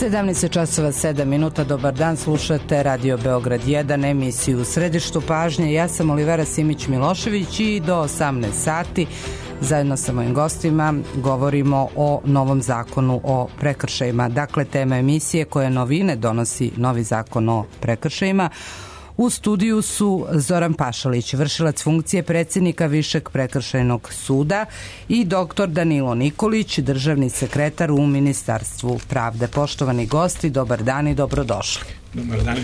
17 časova 7 minuta, dobar dan, slušate Radio Beograd 1, emisiju u središtu pažnje. Ja sam Olivera Simić-Milošević i do 18 sati zajedno sa mojim gostima govorimo o novom zakonu o prekršajima. Dakle, tema emisije koje novine donosi novi zakon o prekršajima. U studiju su Zoran Pašalić, vršilac funkcije predsjednika Višeg prekršajnog suda, i dr. Danilo Nikolić, državni sekretar u Ministarstvu pravde. Poštovani gosti, dobar dan i dobrodošli. Dobar dan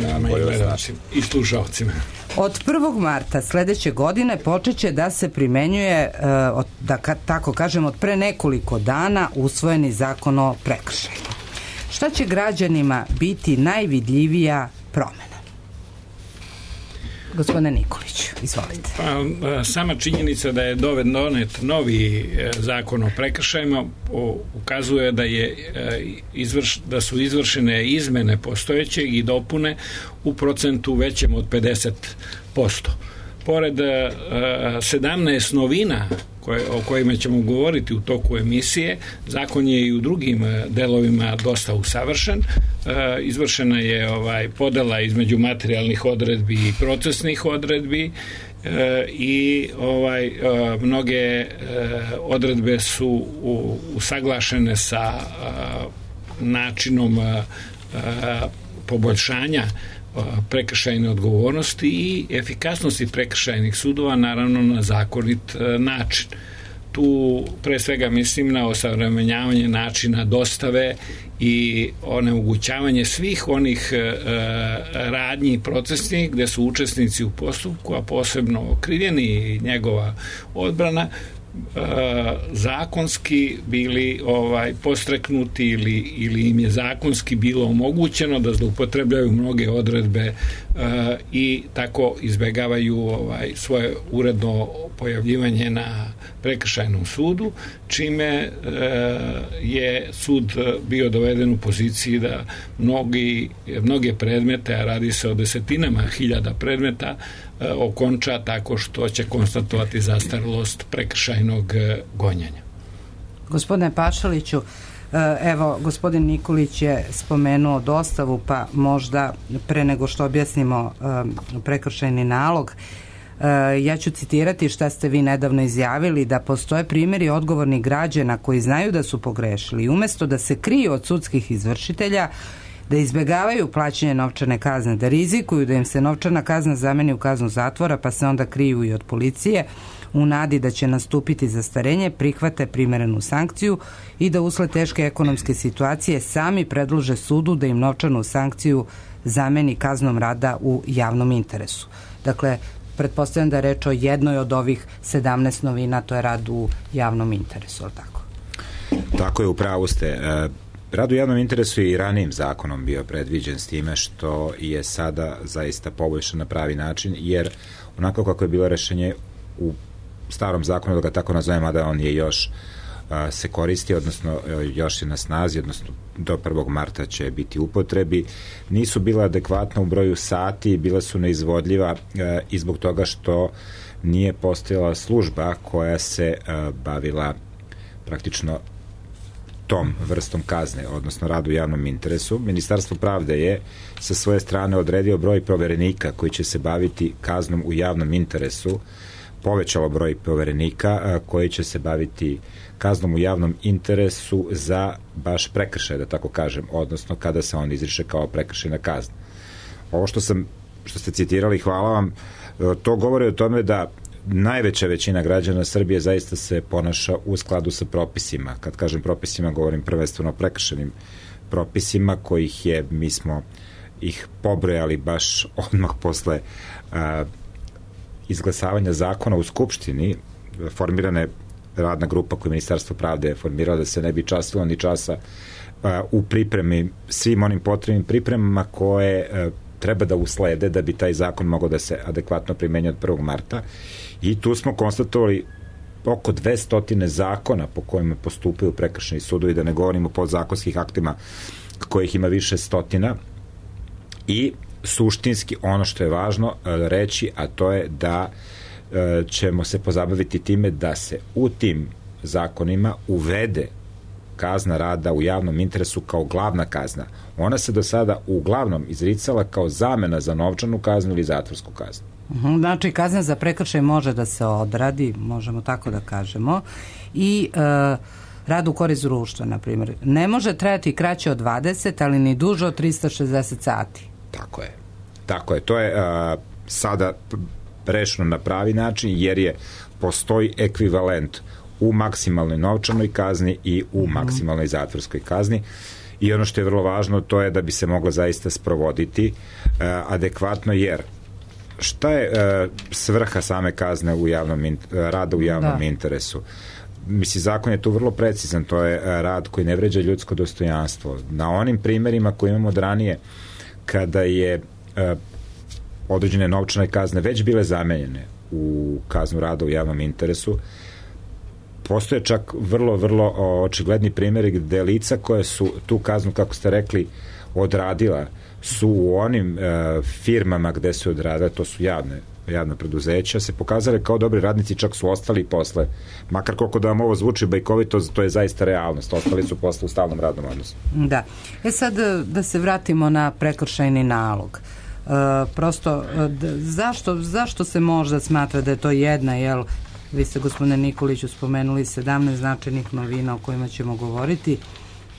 i slušalcima. Od 1. marta sledeće godine počeće da se primenjuje, da tako kažem, od pre nekoliko dana usvojeni zakon o prekršajima. Šta će građanima biti najvidljivija promena? Gospodine Nikolić, izvolite. Sama činjenica da je donet novi zakon o prekršajima ukazuje da su izvršene izmene postojećeg i dopune u procentu većem od 50%. Pored 17 novina o kojima ćemo govoriti u toku emisije, zakon je i u drugim delovima dosta usavršen. Izvršena je podela između materijalnih odredbi i procesnih odredbi i mnoge odredbe su usaglašene sa načinom poboljšanja prekršajne odgovornosti i efikasnosti prekršajnih sudova, naravno na zakonit način. Tu pre svega mislim na osavremenjavanje načina dostave i onemogućavanje svih onih radnji procesnih gde su učesnici u postupku, a posebno okrivljeni i njegova odbrana, zakonski bili postreknuti ili im je zakonski bilo omogućeno da zloupotrebljavaju mnoge odredbe i tako izbegavaju svoje uredno pojavljivanje na prekršajnom sudu, čime je sud bio doveden u poziciji da mnoge predmete, a radi se o desetinama hiljada predmeta, okonča tako što će konstatovati zastarelost prekršajnog gonjenja. Gospodine Pašaliću, evo, gospodin Nikolić je spomenuo dostavu, pa možda pre nego što objasnimo prekršajni nalog, ja ću citirati šta ste vi nedavno izjavili, da postoje primjeri odgovornih građana koji znaju da su pogrešili i umesto da se kriju od sudskih izvršitelja, da izbegavaju plaćanje novčane kazne, da rizikuju da im se novčana kazna zameni u kaznu zatvora, pa se onda kriju i od policije, u nadi da će nastupiti zastarenje, prihvate primerenu sankciju i da usled teške ekonomske situacije sami predlože sudu da im novčanu sankciju zameni kaznom rada u javnom interesu. Dakle, pretpostavljam da je reč o jednoj od ovih 17 novina, to je rad u javnom interesu, ali tako? Tako je, upravo ste. Rad u javnom interesu je i ranijim zakonom bio predviđen, s time što je sada zaista poboljšan na pravi način, jer onako kako je bilo rešenje u starom zakonu, da ga tako nazovem, a da on je još se koristi, odnosno još je na snazi, odnosno do 1. marta će biti u upotrebi, nisu bila adekvatna u broju sati, bila su neizvodljiva i zbog toga što nije postojala služba koja se bavila praktično tom vrstom kazne, odnosno radu u javnom interesu. Ministarstvo pravde je sa svoje strane odredio broj poverenika koji će se baviti kaznom u javnom interesu, povećalo broj poverenika koji će se baviti kaznom u javnom interesu za baš prekršaj, da tako kažem, odnosno kada se on izriše kao prekršajna kazna. Ovo što ste citirali, hvala vam, to govori o tome da najveća većina građana Srbije zaista se ponaša u skladu sa propisima. Kad kažem propisima, govorim prvenstveno o prekršajnim propisima kojih je, mi smo ih pobrojali baš odmah posle izglasavanja zakona u Skupštini. Formirana je radna grupa koju Ministarstvo pravde je formirala da se ne bi časilo ni časa u pripremi, svim onim potrebnim pripremama koje treba da uslede da bi taj zakon mogao da se adekvatno primenjuje od 1. marta. I tu smo konstatovali oko 200 zakona po kojima postupaju prekršajni sudovi, da ne govorimo o podzakonskih aktima kojih ima više stotina. I suštinski ono što je važno reći, a to je da ćemo se pozabaviti time da se u tim zakonima uvede kazna rada u javnom interesu kao glavna kazna. Ona se do sada uglavnom izricala kao zamena za novčanu kaznu ili zatvorsku kaznu. Znači, kazna za prekršaj može da se odradi, možemo tako da kažemo, i rad u korist društva, na primjer. Ne može trajati kraće od 20, ali ni duže od 360 sati. Tako je. To je sada rešeno na pravi način, jer postoji ekvivalent u maksimalnoj novčanoj kazni i u maksimalnoj zatvorskoj kazni. I ono što je vrlo važno, to je da bi se moglo zaista sprovoditi adekvatno, jer šta je svrha same kazne rada u javnom interesu? Mislim, zakon je tu vrlo precizan, to je rad koji ne vređa ljudsko dostojanstvo. Na onim primerima koje imamo od ranije, kada je određene novčane kazne već bile zamenjene u kaznu rada u javnom interesu, postoje čak vrlo, vrlo očigledni primjeri gde lica koje su tu kaznu, kako ste rekli, odradila, su u onim firmama gde su odradile, to su javna preduzeća, se pokazale kao dobri radnici, čak su ostali posle, makar koliko da vam ovo zvuči bajkovito, to je zaista realnost, ostali su posle u stalnom radnom odnosu. Da. Sad da se vratimo na prekršajni nalog. Prosto, zašto se možda smatra da je to jedna, jel, vi ste, gospodine Nikoliću, spomenuli 17 značajnih novina o kojima ćemo govoriti,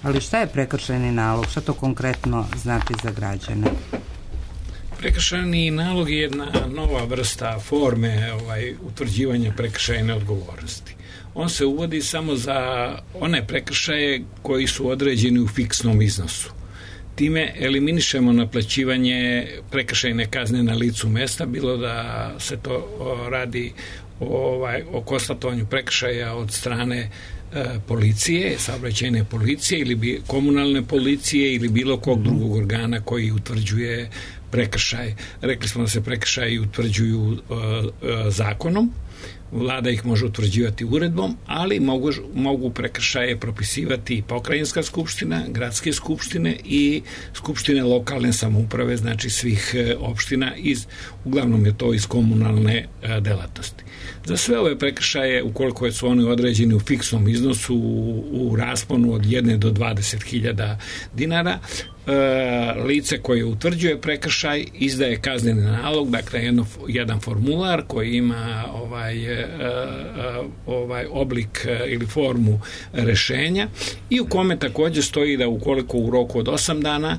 ali šta je prekršajni nalog? Šta to konkretno znači za građane? Prekršajni nalog je jedna nova vrsta forme utvrđivanja prekršajne odgovornosti. On se uvodi samo za one prekršaje koji su određeni u fiksnom iznosu. Time eliminišemo naplaćivanje prekršajne kazne na licu mesta, bilo da se to radi o konstatovanju prekršaja od strane policije, saobraćajne policije ili komunalne policije ili bilo kog drugog organa koji utvrđuje prekršaj. Rekli smo da se prekršaji utvrđuju zakonom, vlada ih može utvrđivati uredbom, ali mogu prekršaje propisivati pokrajinska skupština, gradske skupštine i skupštine lokalne samouprave, znači svih opština, uglavnom je to iz komunalne delatnosti. Za sve ove prekršaje, ukoliko su oni određeni u fiksnom iznosu u rasponu od 1 do 20.000 dinara, lice koje utvrđuje prekršaj izdaje kazneni nalog, dakle jedan formular koji ima oblik ili formu rešenja i u kome također stoji da ukoliko u roku od 8 dana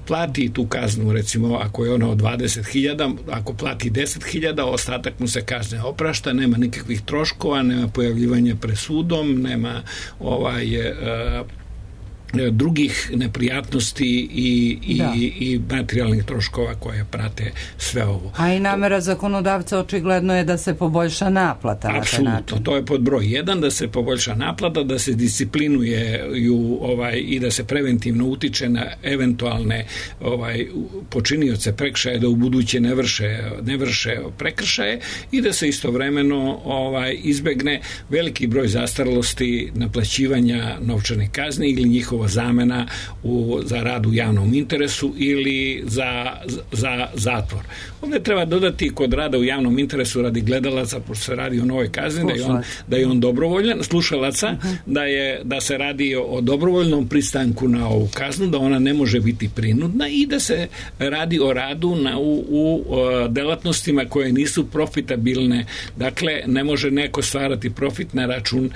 plati tu kaznu, recimo ako je ona od 20.000, ako plati 10.000, ostatak mu se kazne oprašta, nema nikakvih troškova, nema pojavljivanja pred sudom, nema drugih neprijatnosti i materijalnih troškova koje prate sve ovo. A i namera zakonodavca očigledno je da se poboljša naplata. Apsolutno, to je pod broj 1, da se poboljša naplata, da se disciplinuje i da se preventivno utiče na eventualne počinioce prekršaja da u buduće ne vrše prekršaje i da se istovremeno izbegne veliki broj zastarelosti naplaćivanja novčane kazne ili njihova zamena za rad u javnom interesu ili za zatvor. Ovdje treba dodati kod rada u javnom interesu radi gledalaca, pošto se radi o novoj kazni, da je on dobrovoljan, slušalaca, da se radi o dobrovoljnom pristanku na ovu kaznu, da ona ne može biti prinudna i da se radi o radu u delatnostima koje nisu profitabilne. Dakle, ne može neko stvarati profit na račun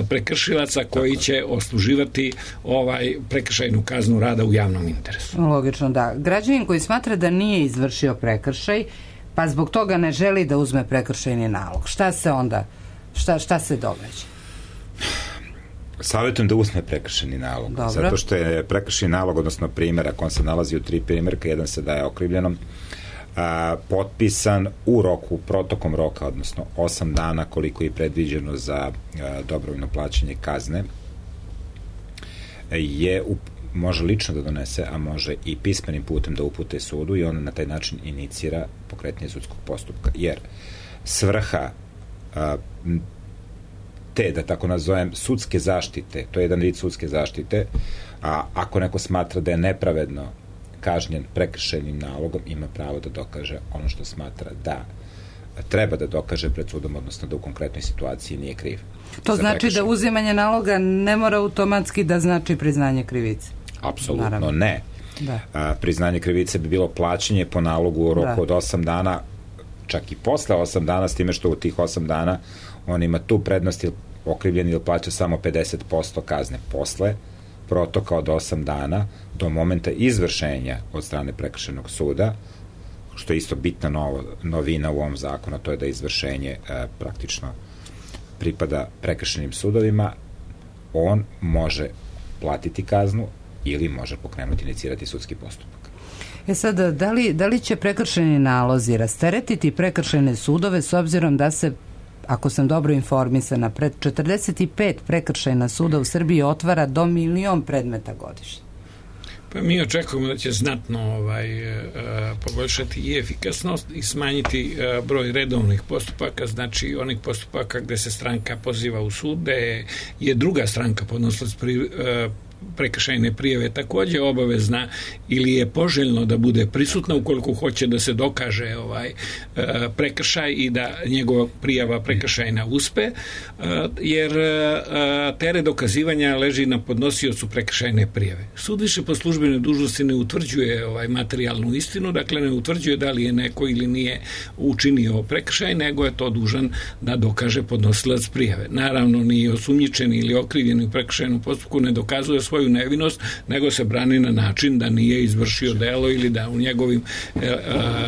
prekršilaca koji će osluživati prekršajnu kaznu rada u javnom interesu. Logično, da. Građanin koji smatra da nije izvršio prekršaj, pa zbog toga ne želi da uzme prekršajni nalog. Šta se onda, šta se događa? Savjetujem da uzme prekršajni nalog. Dobro. Zato što je prekršajni nalog, odnosno primjerak, on se nalazi u 3 primjerka, jedan se daje okrivljenom, potpisan u roku, protokom roka, odnosno 8 dana koliko je predviđeno za dobrovoljno plaćanje kazne, može lično da donese, a može i pismenim putem da upute sudu i on na taj način inicira pokretanje sudskog postupka. Jer svrha te, da tako nazovem, sudske zaštite, to je jedan vid sudske zaštite, a ako neko smatra da je nepravedno kažnjen prekršajnim nalogom, ima pravo da dokaže ono što smatra da treba da dokaže pred sudom, odnosno da u konkretnoj situaciji nije kriv. To znači da uzimanje naloga ne mora automatski da znači priznanje krivice? Apsolutno ne. Da. Priznanje krivice bi bilo plaćanje po nalogu u roku od 8 dana, čak i posle 8 dana, s time što u tih 8 dana on ima tu prednost, okrivljeni ili plaća samo 50% kazne posle protoka od 8 dana do momenta izvršenja od strane prekršajnog suda, što je isto bitna novina u ovom zakonu, to je da izvršenje praktično pripada prekršajnim sudovima. On može platiti kaznu ili može pokrenuti, inicirati sudski postupak. Sad, da li će prekršajni nalozi rasteretiti prekršajne sudove s obzirom da se, ako sam dobro informisana, 45 prekršajna suda u Srbiji otvara do 1.000.000 predmeta godišnje? Pa mi očekujemo da će znatno poboljšati i efikasnost i smanjiti broj redovnih postupaka, znači onih postupaka gde se stranka poziva u sud, gde je druga stranka podnosilac prekršajne prijave takođe obavezna ili je poželjno da bude prisutna ukoliko hoće da se dokaže prekršaj i da njegova prijava prekršajna uspe, jer teret dokazivanja leži na podnosiocu prekršajne prijave. Sud više po službenoj dužnosti ne utvrđuje materijalnu istinu, dakle ne utvrđuje da li je neko ili nije učinio prekršaj, nego je to dužan da dokaže podnosilac prijave. Naravno, ni osumnjičeni ili okrivljeni u prekršajnom postupku ne dokazuje svoju nevinost, nego se brani na način da nije izvršio delo ili da u njegovim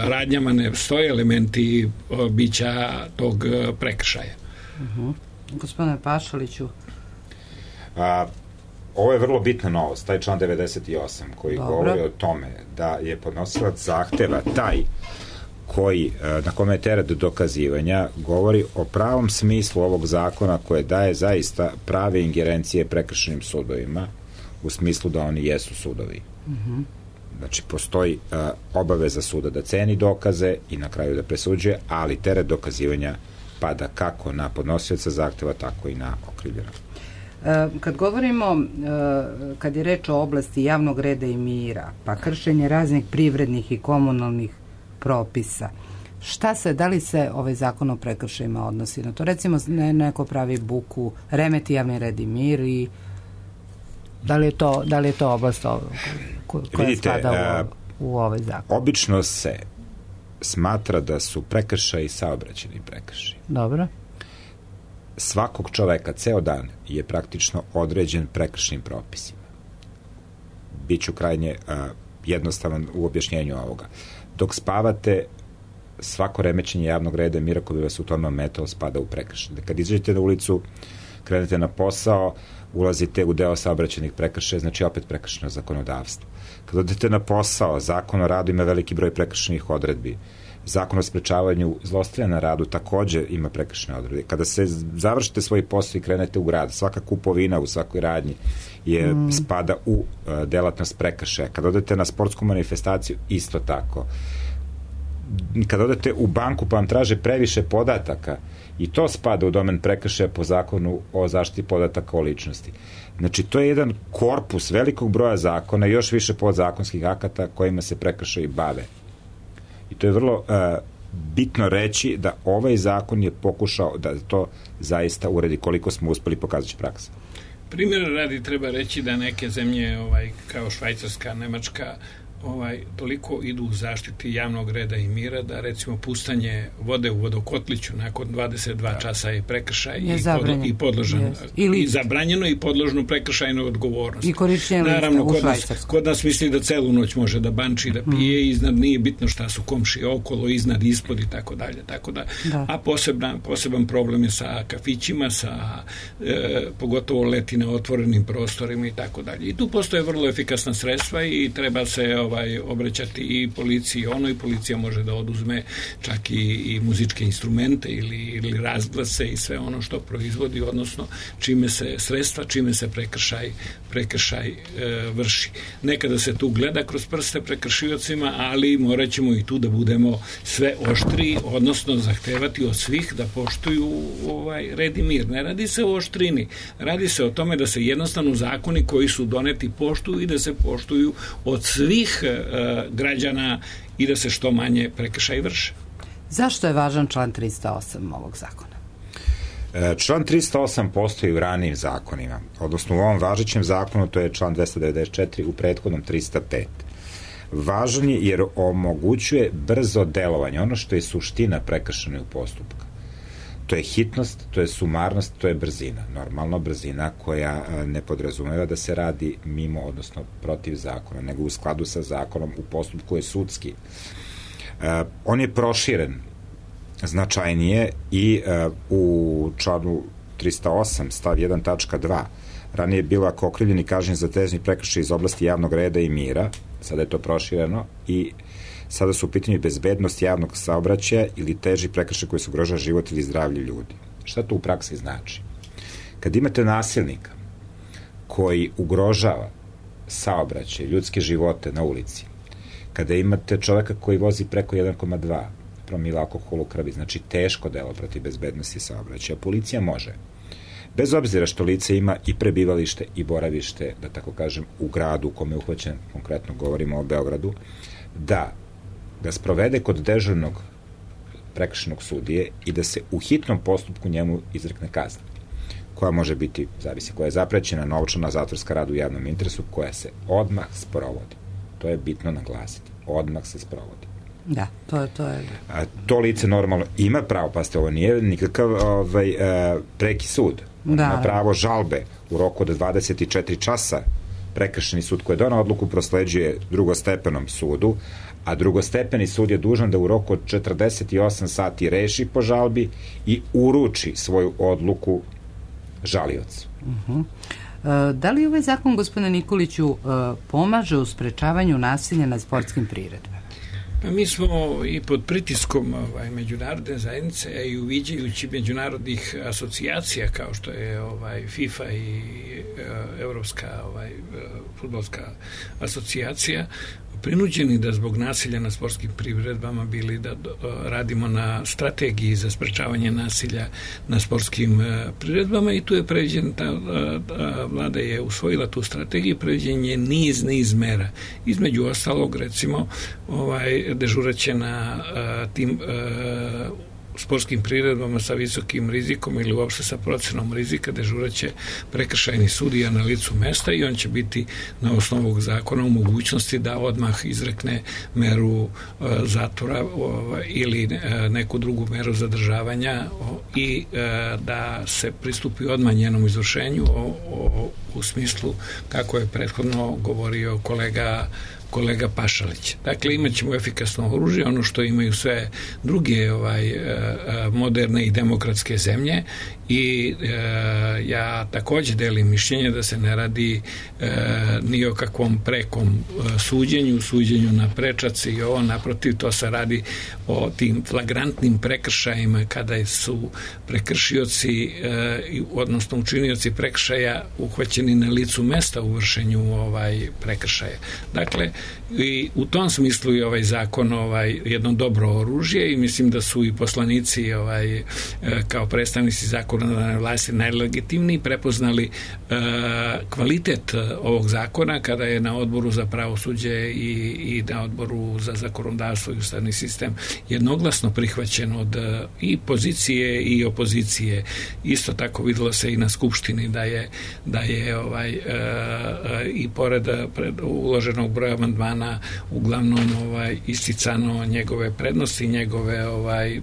radnjama ne stoje elementi bića tog prekršaja. Gospodine Pašaliću. Ovo je vrlo bitna novost, taj član 98 koji govori o tome da je podnosilac zahteva taj na kome je teret dokazivanja, govori o pravom smislu ovog zakona koje daje zaista prave ingerencije prekršajnim sudovima, u smislu da oni jesu sudovi. Znači, postoji obaveza suda da ceni dokaze i na kraju da presuđuje, ali teret dokazivanja pada kako na podnosioca zahteva, tako i na okrivljenog. Kad govorimo, kad je reč o oblasti javnog reda i mira, pa kršenje raznih privrednih i komunalnih propisa, da li se ovaj zakon o prekršajima odnosi na to? Recimo, neko pravi buku, remeti javni red i mir i da li je to oblast koja spada u ovaj zakon? Obično se smatra da su prekršaji saobraćajni prekršaji. Dobro. Svakog čoveka, ceo dan je praktično određen prekršajnim propisima. Biću krajnje jednostavan u objašnjenju ovoga. Dok spavate, svako remećenje javnog reda i mira koji bi vas u tome ometao spada u prekršaj. Kad izađete na ulicu, krenete na posao, ulazite u deo saobraćajnih prekršaja, znači opet prekršajno zakonodavstvo. Kad odete na posao, zakon o radu ima veliki broj prekršajnih odredbi. Zakon o sprečavanju zlostavljanja na radu takođe ima prekršajne odredbe. Kada se završite svoj posao i krenete u grad, svaka kupovina u svakoj radnji spada u delatnost prekršaja. Kad odete na sportsku manifestaciju, isto tako. Kad odete u banku pa vam traže previše podataka, i to spada u domen prekršaja po zakonu o zaštiti podataka o ličnosti. Znači, to je jedan korpus velikog broja zakona i još više podzakonskih akata kojima se prekršaji bave. I to je vrlo bitno reći da ovaj zakon je pokušao da to zaista uredi, koliko smo uspeli, pokazat će praksa. Primjer radi treba reći da neke zemlje kao Švajcarska, Nemačka toliko idu u zaštiti javnog reda i mira da recimo pustanje vode u vodokotliću nakon 22 časa je prekršaj i podložan i zabranjeno i podložno prekršajnoj odgovornosti. I korišćenje lista u Švajcarsku. Kod nas misli da celu noć može da banči, da pije, iznad nije bitno šta su komšije okolo, iznad, ispod i tako dalje. A poseban problem je sa kafićima, pogotovo leti na otvorenim prostorima i tako dalje. I tu postoje vrlo efikasna sredstva i treba se obraćati i policiji. I policija može da oduzme čak i muzičke instrumente ili razglase i sve ono što proizvodi, odnosno čime se prekršaj vrši. Nekada se tu gleda kroz prste prekršiocima, ali morat ćemo i tu da budemo sve oštriji, odnosno zahtevati od svih da poštuju red i mir. Ne radi se o oštrini, radi se o tome da se jednostavno zakoni koji su doneti poštuju i da se poštuju od svih građana i da se što manje prekršaj vrše. Zašto je važan član 308 ovog zakona? Član 308 postoji u ranijim zakonima, odnosno u ovom važećem zakonu to je član 294, u prethodnom 305. Važan je jer omogućuje brzo delovanje, ono što je suština prekršajnog postupka. To je hitnost, to je sumarnost, to je brzina. Normalno brzina koja ne podrazumeva da se radi mimo, odnosno protiv zakona, nego u skladu sa zakonom u postupku je sudski. On je proširen značajnije i u članu 308 stav 1 tačka 2 ranije je bilo ako okrivljeni kažnjen za težni prekršaj iz oblasti javnog reda i mira, sada je to prošireno i sada su u pitanju bezbednost javnog saobraćaja ili teži prekršaj koji se ugrožava život ili zdravlje ljudi. Šta to u praksi znači? Kad imate nasilnika koji ugrožava saobraćaj, ljudske živote na ulici, kada imate čoveka koji vozi preko 1,2 promila alkohola u krvi, znači teško delo protiv bezbednosti saobraćaja, policija može, bez obzira što lice ima i prebivalište i boravište, da tako kažem, u gradu u kome je uhvaćen, konkretno govorimo o Beogradu, da ga sprovede kod dežurnog prekršajnog sudije i da se u hitnom postupku njemu izrekne kazna, koja može biti, zavisi, koja je zaprećena novčana zatvorska rad u javnom interesu, koja se odmah sprovodi. To je bitno naglasiti. Odmah se sprovodi. Da, to je. To lice normalno ima pravo, pazite, ovo nije nikakav preki sud. Ima pravo žalbe u roku od 24 časa. Prekršajni sud koji je donao odluku prosleđuje drugostepenom sudu, a drugostepeni sud je dužan da u roku od 48 sati reši po žalbi i uruči svoju odluku žaliocu. Da li ovaj zakon, gospodine Nikoliću, pomaže u sprečavanju nasilja na sportskim priredbama? Pa mi smo i pod pritiskom međunarodne zajednice, a i uviđajući međunarodnih asocijacija kao što je FIFA i Evropska fudbalska asocijacija, prinuđeni da zbog nasilja na sportskim priredbama bili da radimo na strategiji za sprečavanje nasilja na sportskim priredbama i tu je predviđen, vlada je usvojila tu strategiju, predviđen je niz mera. Između ostalog, recimo, dežuraće na tim sportskim priredbama sa visokim rizikom ili uopšte sa procenom rizika, dežuraće prekršajni sudija na licu mesta i on će biti na osnovu ovog zakona u mogućnosti da odmah izrekne meru zatvora ili neku drugu meru zadržavanja i da se pristupi odmah njenom izvršenju u smislu kako je prethodno govorio kolega Pašalić. Dakle, imat ćemo efikasno oružje, ono što imaju sve druge moderne i demokratske zemlje i ja takođe delim mišljenje da se ne radi ni o kakvom prekom suđenju na prečac i ovo, naprotiv, to se radi o tim flagrantnim prekršajima kada su prekršioci, odnosno učinioci prekršaja uhvaćeni na licu mesta u vršenju prekršaja. Dakle, i u tom smislu je ovaj zakon jedno dobro oružje i mislim da su i poslanici kao predstavnici zakonodavne vlasti najlegitimniji prepoznali kvalitet ovog zakona kada je na odboru za pravosuđe i na odboru za zakonodavstvo i ustavni sistem jednoglasno prihvaćen od i pozicije i opozicije. Isto tako videlo se i na Skupštini da je i pored uloženog broja amandmana uglavnom isticano njegove prednosti, njegove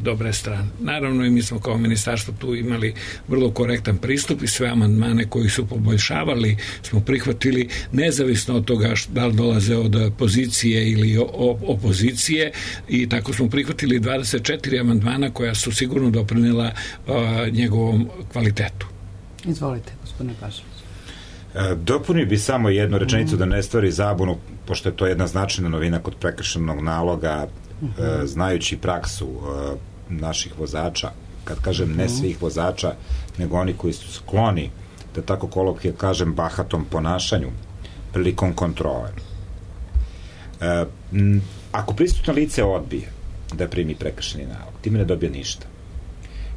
dobre strane. Naravno i mi smo kao ministarstvo tu imali vrlo korektan pristup i sve amandmane koji su poboljšavali smo prihvatili nezavisno od toga da li dolaze od pozicije ili opozicije i tako smo prihvatili 24 amandmana koja su sigurno doprinela njegovom kvalitetu. Izvolite, gospodine Pašalić. Dopunio bi samo jednu rečenicu da ne stvari zabunu, pošto je to jedna značajna novina kod prekršajnog naloga, znajući praksu naših vozača, kad kažem ne svih vozača, nego oni koji su skloni, da tako kolokvijalno kažem, bahatom ponašanju prilikom kontrole. Ako prisutno lice odbije da primi prekršajni nalog, time ne dobije ništa,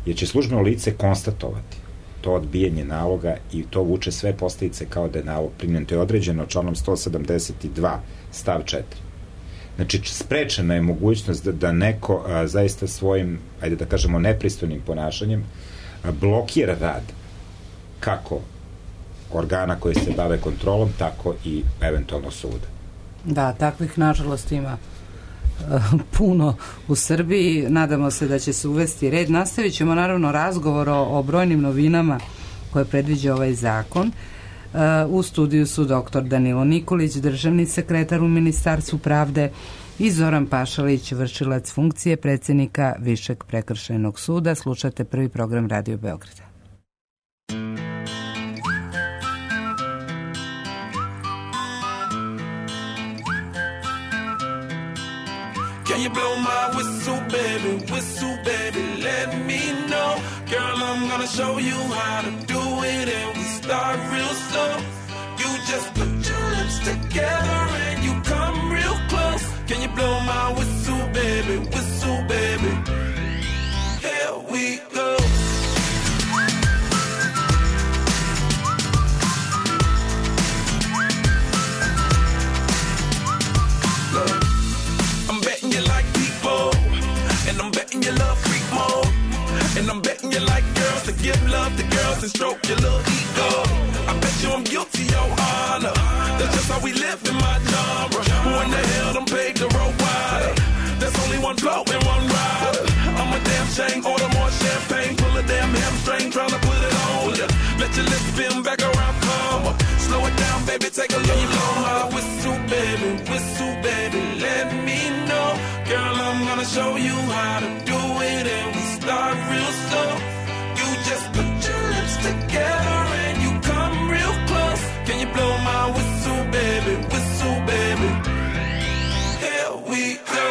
jer će službeno lice konstatovati to odbijanje naloga i to vuče sve posledice kao da je nalog primljen. To je određeno članom 172 stav 4. Znači, sprečena je mogućnost da neko zaista svojim, ajde da kažemo, nepristojnim ponašanjem blokira rad kako organa koji se bave kontrolom, tako i eventualno suda. Da, takvih nažalost ima puno u Srbiji. Nadamo se da će se uvesti red. Nastavit ćemo naravno razgovor o brojnim novinama koje predviđa ovaj zakon. U studiju su dr. Danilo Nikolić, državni sekretar u Ministarstvu pravde, i Zoran Pašalić, vršilac funkcije predsjednika Višeg prekršajnog suda. Slušate prvi program Radio Beograda. Can you blow my whistle, baby, let me know. Girl, I'm gonna show you how to do it, and we start real slow. You just put your lips together and you come real close. Can you blow my whistle, baby, here we go. Look, I'm betting you like people, and I'm betting you love freak mode, and I'm betting you like girls to give love to girls and stroke your little ego. I bet you I'm guilty, your honor. That's just how we live in my genre. Who in the hell done paved the road wider? There's only one blow and one rider. I'm a damn shame, order more champagne, pull a damn hamstring, tryna put it on ya. Let your lips spin back around, come up. Slow it down, baby, take a look. You blow my whistle, baby, let me know. Girl, I'm gonna show you how to do it, and we start real slow. You just put your lips together and you come real close. Can you blow my whistle, baby, here we go.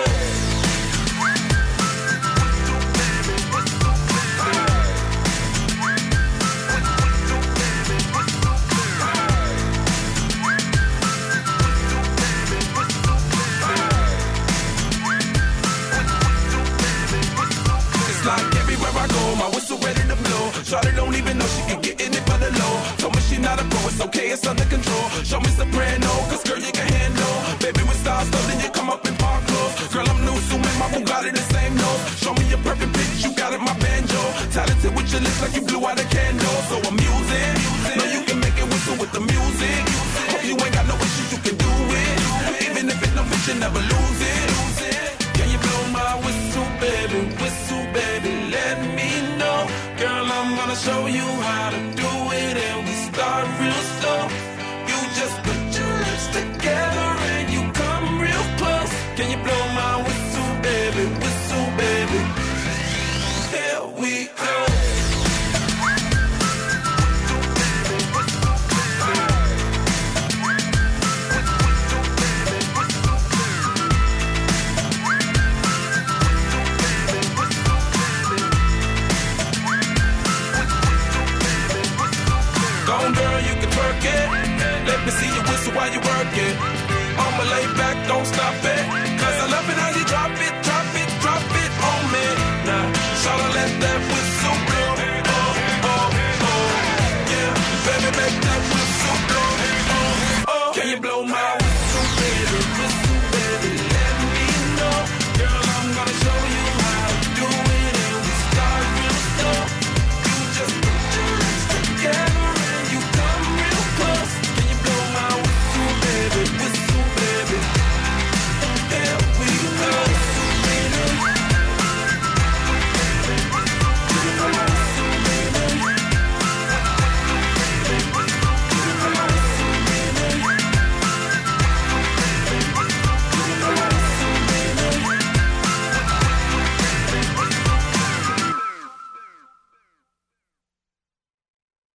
Like everywhere I go, my whistle ready to blow. Shawty don't even know she can get in it for the low. Told me she not a pro, it's okay, it's under control. Show me soprano, cause girl you can handle. Baby with stars, so then you come up in park clothes. Girl I'm new, so man, my Bugatti the same nose. Show me your perfect pitch, you got it, my banjo. Talented with your lips like you blew out a candle. So I'm using, know you can make it whistle with the music. Hope you ain't got no issues, you can do it. Even if it no fit, you never lose it. Can you blow my whistle, baby, let me know. Girl, I'm gonna show you how to do it, and we start real slow. You just put your lips together and you come real close. Can you blow my whistle, baby, here we go. Let me see you whistle while you work it. I'ma lay back, don't stop it. Cause I love it how you drop it on me. Now, shawty let that whistle blow. Oh, oh, oh. Yeah, baby, make that whistle blow. Oh, oh. Can you blow my whistle, baby, let me know. Girl, I'm gonna show you how to do it, and we start real slow. You just put your lips together.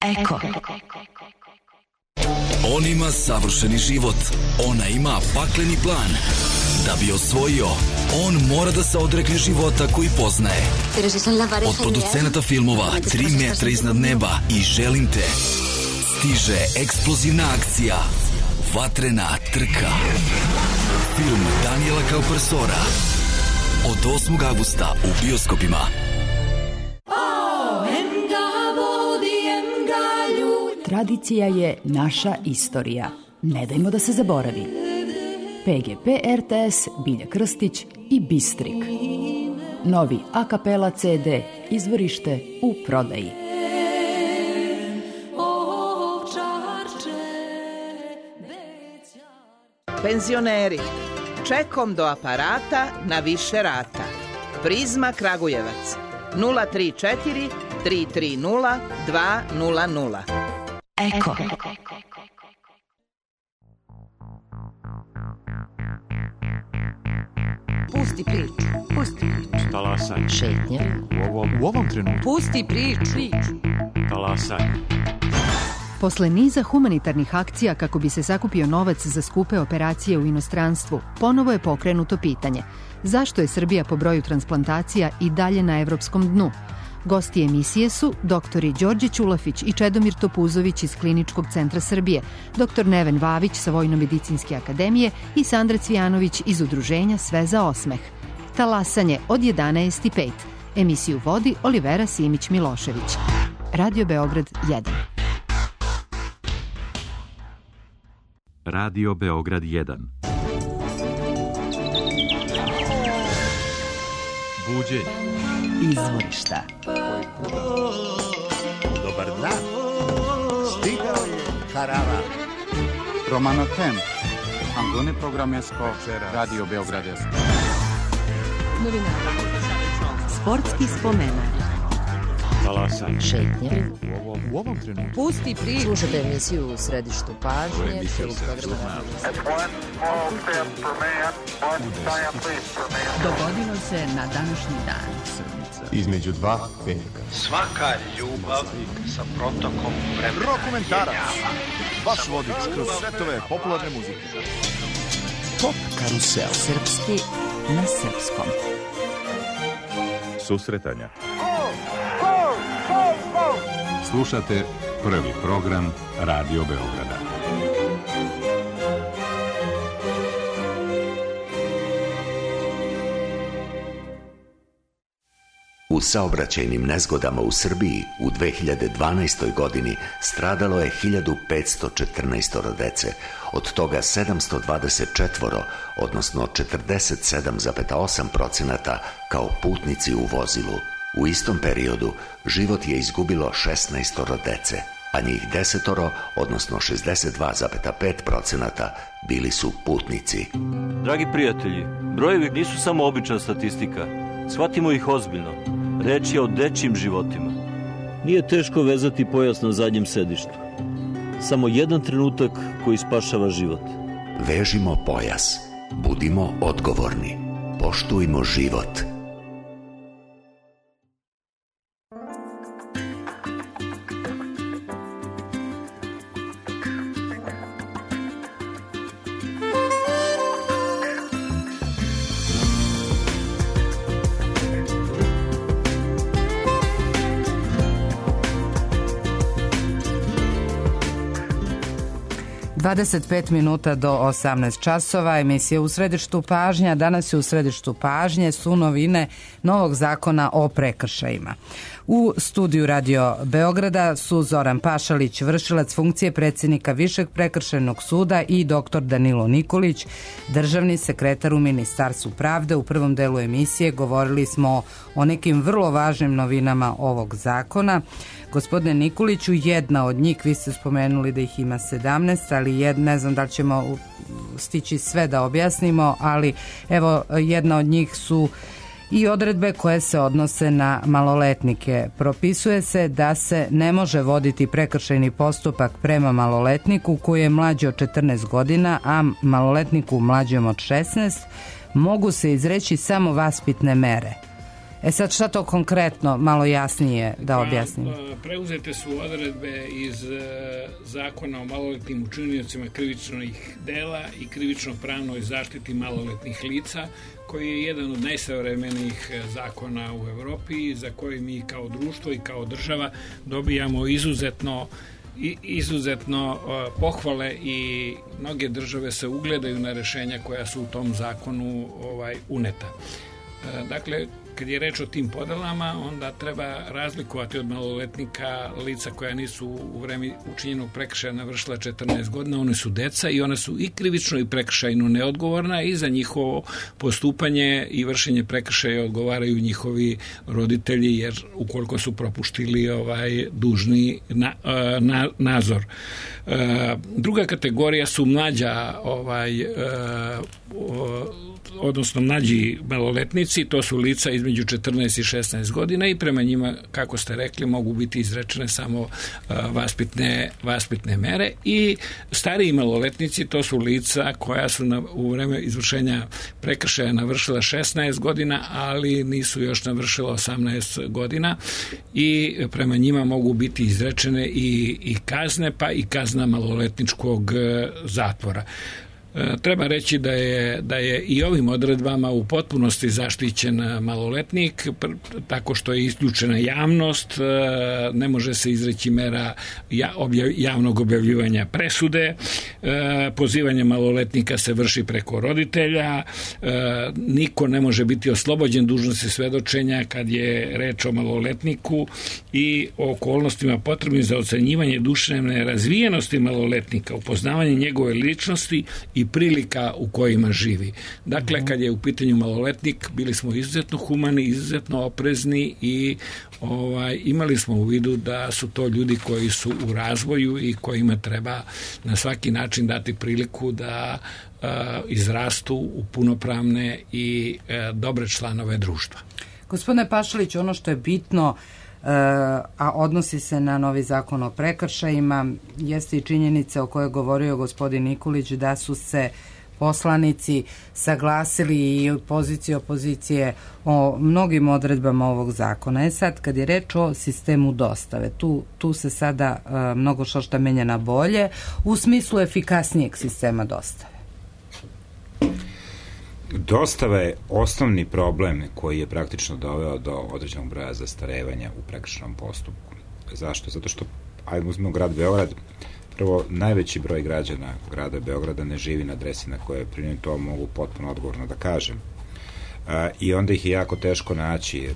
Eko. On ima savršeni život. Ona ima pakleni plan. Da bi osvojio, on mora da se odrekne života koji poznaje. Od producenata filmova 3 metra iznad neba i Želim te stiže eksplozivna akcija Vatrena trka. Film Daniela Kaupersora od 8. avgusta u bioskopima. Tradicija je naša istorija. Ne dajmo da se zaboravi. PGP RTS, Bilja Krstić i Bistrik. Novi a kapela CD, izvorište u prodaji. Penzioneri, čekom do aparata na više rata. Prizma Kragujevac, 034 330 200. Eko. Pusti priču. Talasaj. Šetnja. U ovom trenutku. Pusti priču. Talasaj. Posle niza humanitarnih akcija kako bi se sakupio novac za skupe operacije u inostranstvu, ponovo je pokrenuto pitanje zašto je Srbija po broju transplantacija i dalje na evropskom dnu. Gosti emisije su doktori Đorđe Ćulafić i Čedomir Topuzović iz Kliničkog centra Srbije, doktor Neven Vavić sa Vojno-medicinske akademije i Sandra Cvijanović iz udruženja Sve za osmeh. Talasanje od 11:05. Emisiju vodi Olivera Simić-Milošević. Radio Beograd 1. Radio Beograd 1. Buđenje. Izvorišta. Dobar dan. Stigao je karavan. Romano Tem. Angone programesko Radio Beograd 1. Novinari. Sportski spomenak. Talasaj. Šetnja. U ovom trenutku. Pusti priču. Slušate emisiju u središtu pažnje. Dogodilo se na današnji dan. Između dva velika. Svaka ljubav sa protokom vremena. Dokumentarac. Vaš vodič kroz svetove popularne muzike. Pop karusel. Srpski na srpskom. Susretanja. Slušate prvi program Radio Beograda. U saobraćajnim nezgodama u Srbiji u 2012. godini stradalo je 1514 dece, od toga 724, odnosno 47,8% kao putnici u vozilu. U istom periodu život je izgubilo 16 dece, a njih 10, odnosno 62,5% bili su putnici. Dragi prijatelji, brojevi nisu samo obična statistika. Shvatimo ih ozbiljno. Reč je o dečjim životima. Nije teško vezati pojas na zadnjem sedištu. Samo jedan trenutak koji spašava život. Vežimo pojas. Budimo odgovorni. Poštujmo život. Dvadeset minuta do 18 časova, emisija u središtu pažnja. Danas je u središtu pažnje su novine novog zakona o prekršajima. U studiju Radio Beograda su Zoran Pašalić, vršilac funkcije predsjednika Višeg prekršajnog suda, i doktor Danilo Nikolić, državni sekretar u Ministarstvu pravde. U prvom delu emisije govorili smo o nekim vrlo važnim novinama ovog zakona. Gospodine Nikoliću, jedna od njih, vi ste spomenuli da ih ima 17, ali ne znam da li ćemo stići sve da objasnimo, ali evo, jedna od njih su i odredbe koje se odnose na maloletnike. Propisuje se da se ne može voditi prekršajni postupak prema maloletniku koji je mlađi od 14 godina, a maloletniku mlađem od 16 mogu se izreći samo vaspitne mere. Sad šta to konkretno, malo jasnije da objasnim? Preuzete su odredbe iz zakona o maloletnim učiniocima krivičnih dela i krivično-pravnoj zaštiti maloletnih lica, koji je jedan od najsavremenijih zakona u Evropi, za koji mi kao društvo i kao država dobijamo izuzetno pohvale, i mnoge države se ugledaju na rešenja koja su u tom zakonu uneta. Dakle, kad je reč o tim podelama, onda treba razlikovati od maloletnika lica koja nisu u vreme učinjenog prekršaja navršila 14 godina, one su deca i one su i krivično i prekršajno neodgovorna i za njihovo postupanje i vršenje prekršaja odgovaraju njihovi roditelji, jer ukoliko su propuštili dužni nadzor. Druga kategorija su mlađa odnosno mlađi maloletnici, to su lica između 14 i 16 godina i prema njima, kako ste rekli, mogu biti izrečene samo vaspitne mere, i stariji maloletnici, to su lica koja su u vreme izvršenja prekršaja navršila 16 godina, ali nisu još navršila 18 godina i prema njima mogu biti izrečene i kazne, pa i kazna maloletničkog zatvora. Treba reći da je i ovim odredbama u potpunosti zaštićen maloletnik, tako što je isključena javnost, ne može se izreći mera javnog objavljivanja presude, pozivanje maloletnika se vrši preko roditelja, niko ne može biti oslobođen dužnosti svedočenja kad je reč o maloletniku i o okolnostima potrebnim za ocenjivanje duševne razvijenosti maloletnika, upoznavanje njegove ličnosti i prilika u kojima živi. Dakle, kad je u pitanju maloletnik, bili smo izuzetno humani, izuzetno oprezni i imali smo u vidu da su to ljudi koji su u razvoju i kojima treba na svaki način dati priliku da izrastu u punopravne i dobre članove društva. Gospodine Pašalić, ono što je bitno, a odnosi se na novi zakon o prekršajima, jeste i činjenica o kojoj je govorio gospodin Nikolić, da su se poslanici saglasili i pozicije opozicije o mnogim odredbama ovog zakona. Sad, kad je reč o sistemu dostave, tu se sada mnogo što menja na bolje u smislu efikasnijeg sistema dostave. Dostava je osnovni problem koji je praktično doveo do određenog broja zastarevanja u prekršajnom postupku. Zašto? Zato što, ajmo uzmemo grad Beograd, prvo, najveći broj građana grada Beograda ne živi na adresi na kojoj je primljen, to mogu potpuno odgovorno da kažem. I onda ih je jako teško naći.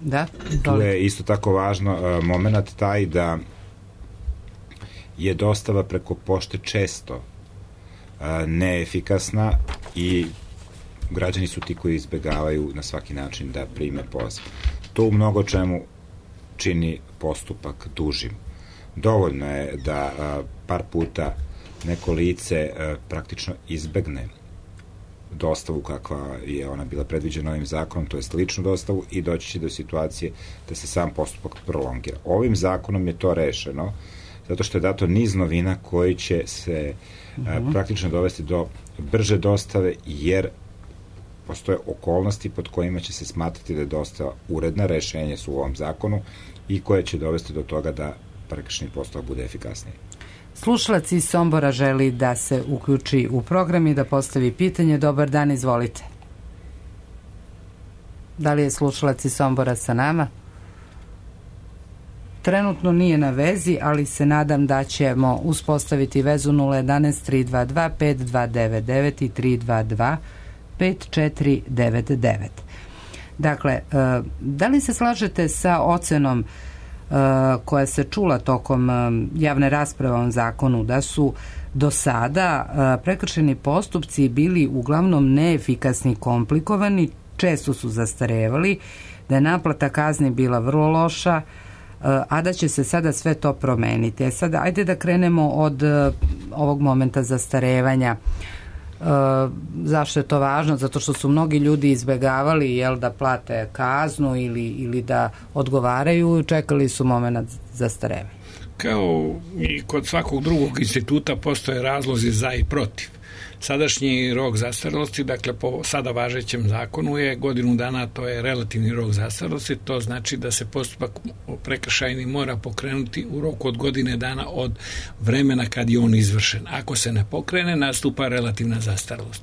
Da, tu je isto tako važno moment taj da je dostava preko pošte često neefikasna i građani su ti koji izbegavaju na svaki način da prime poziv. To u mnogo čemu čini postupak dužim. Dovoljno je da par puta neko lice praktično izbegne dostavu kakva je ona bila predviđena ovim zakonom, to je ličnu dostavu, i doći će do situacije da se sam postupak prolongira. Ovim zakonom je to rešeno zato što je dato niz novina koji će se praktično dovesti do brže dostave, jer postoje okolnosti pod kojima će se smatrati da je dostava uredna, rešenje su u ovom zakonu i koje će dovesti do toga da prekršajni postupak bude efikasniji. Slušalac iz Sombora želi da se uključi u program i da postavi pitanje. Dobar dan, izvolite. Da li je slušalac iz Sombora sa nama? Trenutno nije na vezi, ali se nadam da ćemo uspostaviti vezu 011 322 5299 i 322 5499. Dakle, da li se slažete sa ocenom koja se čula tokom javne rasprave o ovom zakonu, da su do sada prekršajni postupci bili uglavnom neefikasni, komplikovani, često su zastarevali, da je naplata kazni bila vrlo loša, a da će se sada sve to promeniti. Sada, ajde da krenemo od ovog momenta zastarevanja. Zašto je to važno? Zato što su mnogi ljudi izbegavali da plate kaznu ili da odgovaraju, čekali su moment zastarevanja. Kao i kod svakog drugog instituta postoje razlozi za i protiv. Sadašnji rok zastarelosti, dakle po sada važećem zakonu je godinu dana, to je relativni rok zastarelosti, to znači da se postupak prekršajni mora pokrenuti u roku od godine dana od vremena kad je on izvršen. Ako se ne pokrene, nastupa relativna zastarelost.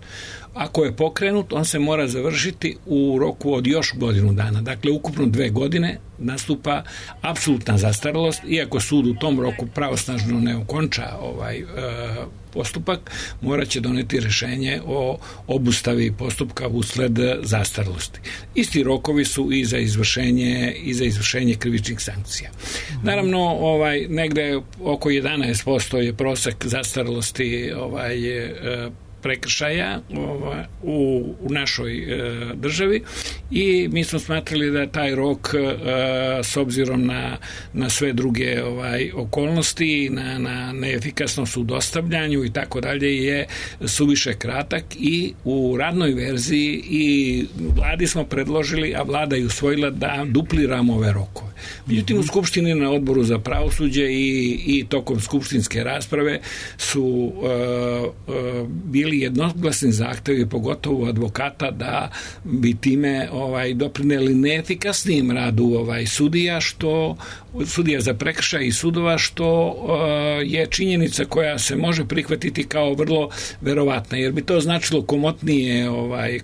Ako je pokrenut, on se mora završiti u roku od još godinu dana, dakle ukupno 2 godine nastupa apsolutna zastarelost, iako sud u tom roku pravosnažno ne okonča postupak, morat će doneti rešenje o obustavi postupka usled zastarelosti. Isti rokovi su i za izvršenje krivičnih sankcija. Naravno, negde oko 11% je prosek zastarelosti prekršaja u našoj državi i mi smo smatrali da je taj rok s obzirom na sve druge okolnosti, na neefikasnost u dostavljanju i tako dalje je suviše kratak i u radnoj verziji i vladi smo predložili, a vlada je usvojila da dupliramo ove rokove. Međutim, u Skupštini na odboru za pravosuđe i tokom skupštinske rasprave su bili jednoglasni zahtevi, pogotovo advokata, da bi time doprineli neefikasnijem radu sudija za prekršaj i sudova, što je činjenica koja se može prihvatiti kao vrlo verovatna, jer bi to značilo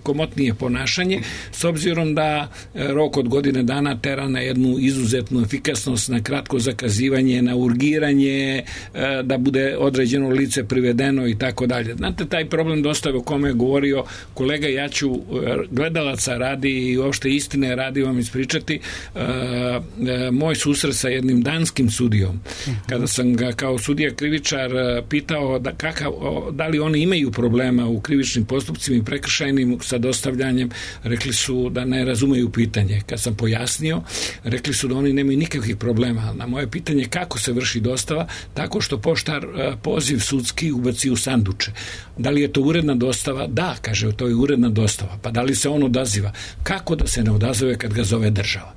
komotnije ponašanje, s obzirom da rok od godine dana tera na jednu izuzetnu efikasnost, na kratko zakazivanje, na urgiranje, da bude određeno lice privedeno i tako dalje. Znate, taj problem dostave o kome je govorio kolega, ja ću gledalaca radi i uopšte istine radi vam ispričati moj susret sa jednim danskim sudijom. Kada sam ga kao sudija krivičar pitao da li oni imaju problema u krivičnim postupcima i prekršajnim sa dostavljanjem, rekli su da ne razumeju pitanje. Kad sam pojasnio, rekli su da oni nemaju nikakvih problema. Na moje pitanje kako se vrši dostava, tako što poštar poziv sudski ubaci u sanduče. Da li je to uredna dostava? Da, kaže, to je uredna dostava. Pa da li se on odaziva? Kako da se ne odazove kad ga zove država?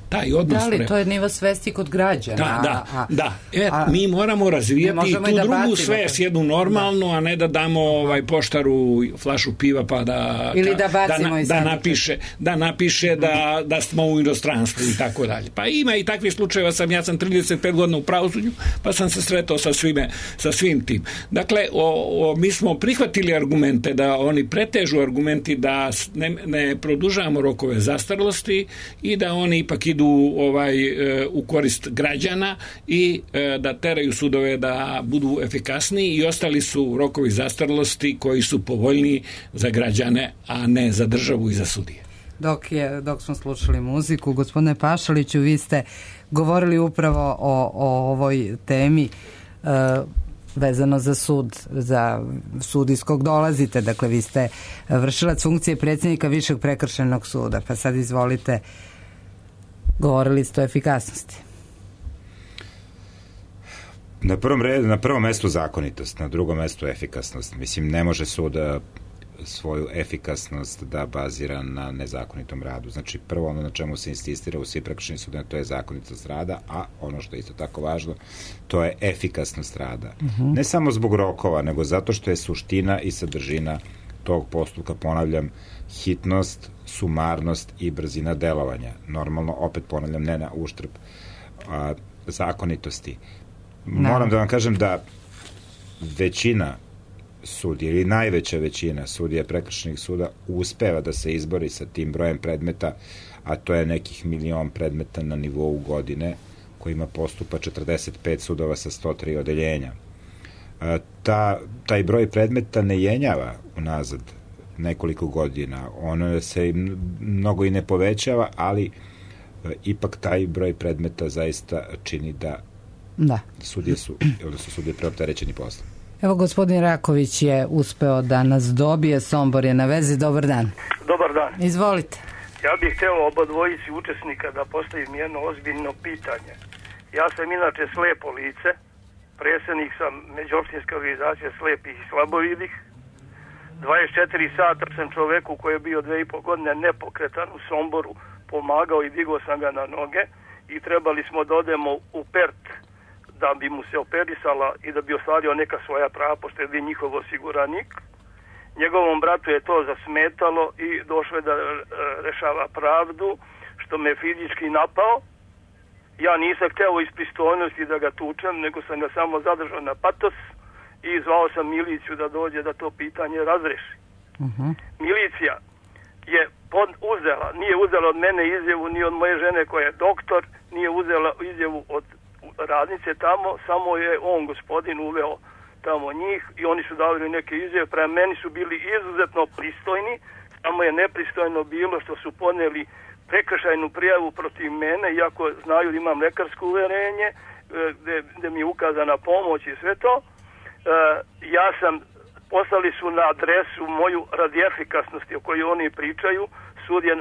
Taj odnos... Da li, to je nivo svesti kod građana. Da. Mi moramo razvijati tu drugu svest, jednu normalnu, a ne da damo poštaru flašu piva pa da... Ili da bacimo da napiše da smo u inostranstvu i tako dalje. Pa ima i takvih slučajeva, ja sam 35 godina u pravosuđu, pa sam se sretao sa svim tim. Dakle, mi smo prihvatili argumente da oni pretežu argumenti da ne produžavamo rokove zastarelosti i da oni ipak idu u korist građana i da teraju sudove da budu efikasniji, i ostali su rokovi zastarelosti koji su povoljniji za građane, a ne za državu i za sudije. Dok smo slušali muziku, gospodine Pašaliću, vi ste govorili upravo o ovoj temi vezano za sud iz kog dolazite. Dakle, vi ste vršilac funkcije predsjednika Višeg prekršajnog suda, pa sad izvolite, govorili ste o efikasnosti. Na prvom mestu zakonitost, na drugom mestu efikasnost. Mislim, ne može sud svoju efikasnost da bazira na nezakonitom radu. Znači, prvo ono na čemu se insistira u svim prekršajnim sudovima, to je zakonitost rada, a ono što je isto tako važno, to je efikasnost rada. Ne samo zbog rokova, nego zato što je suština i sadržina tog postupka, ponavljam, hitnost, sumarnost i brzina delovanja. Normalno, opet ponavljam, ne na uštrb zakonitosti. Moram da vam kažem da većina sudija ili najveća većina sudija prekršajnih suda uspeva da se izbori sa tim brojem predmeta, a to je nekih 1.000.000 predmeta na nivou godine, kojima postupa 45 sudova sa 103 odeljenja. Taj broj predmeta ne jenjava unazad nekoliko godina. Ono se mnogo i ne povećava, ali ipak taj broj predmeta zaista čini da sudije su preopterećeni poslom. Evo, gospodin Raković je uspeo da nas dobije. Sombor je na vezi. Dobar dan. Dobar dan. Izvolite. Ja bih hteo oba dvojici učesnika da postavim jedno ozbiljno pitanje. Ja sam inače slepo lice, predsjednik sam Međuopštinske organizacije slepih i slabovidih. 24 sata sam čoveku koji je bio 2,5 godine nepokretan u Somboru pomagao i digao sam ga na noge i trebali smo da odemo u Pert da bi mu se operisala i da bi ostvario neka svoja prava, pošto je bio njihov osiguranik. Njegovom bratu je to zasmetalo i došlo je da rešava pravdu, što me fizički napao. Ja nisam hteo iz pristojnosti da ga tučem, nego sam ga samo zadržao na patos i zvao sam miliciju da dođe da to pitanje razreši. Milicija je nije uzela od mene izjavu ni od moje žene koja je doktor, nije uzela izjavu od radnice tamo, samo je on, gospodin, uveo tamo njih i oni su davali neke izjave, prema meni su bili izuzetno pristojni, samo je nepristojno bilo što su poneli prekršajnu prijavu protiv mene, iako znaju da imam lekarsko uverenje, gde mi je ukazana pomoć i sve to. Poslali su na adresu moju radi efikasnosti o kojoj oni pričaju, sudija